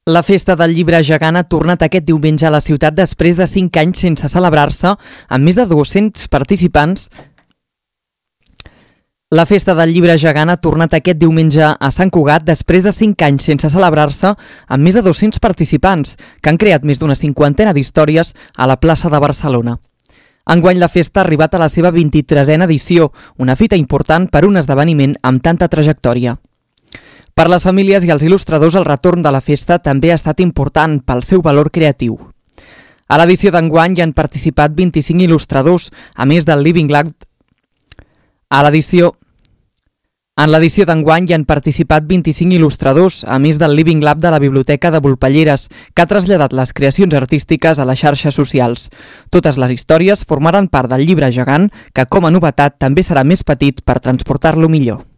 La Festa del Llibre Gegant ha tornat aquest diumenge a la ciutat després de 5 anys sense celebrar-se, amb més de 200 participants. La Festa del Llibre Gegant ha tornat aquest diumenge a Sant Cugat després de 5 anys sense celebrar-se, amb més de 200 participants, que han creat més d'una 50ena d'històries a la plaça de Barcelona. Enguany la festa ha arribat a la seva 23a edició, una fita important per un esdeveniment amb tanta trajectòria. Per les famílies i els il·lustradors, el retorn de la festa també ha estat important pel seu valor creatiu. A l'edició d'enguany hi han participat 25 il·lustradors, a més del Living Lab. En l'edició d'enguany hi han participat 25 il·lustradors, a més del Living Lab de la Biblioteca de Volpelleres, que ha traslladat les creacions artístiques a les xarxes socials. Totes les històries formaran part del llibre gegant, que com a novetat també serà més petit per transportar-lo millor.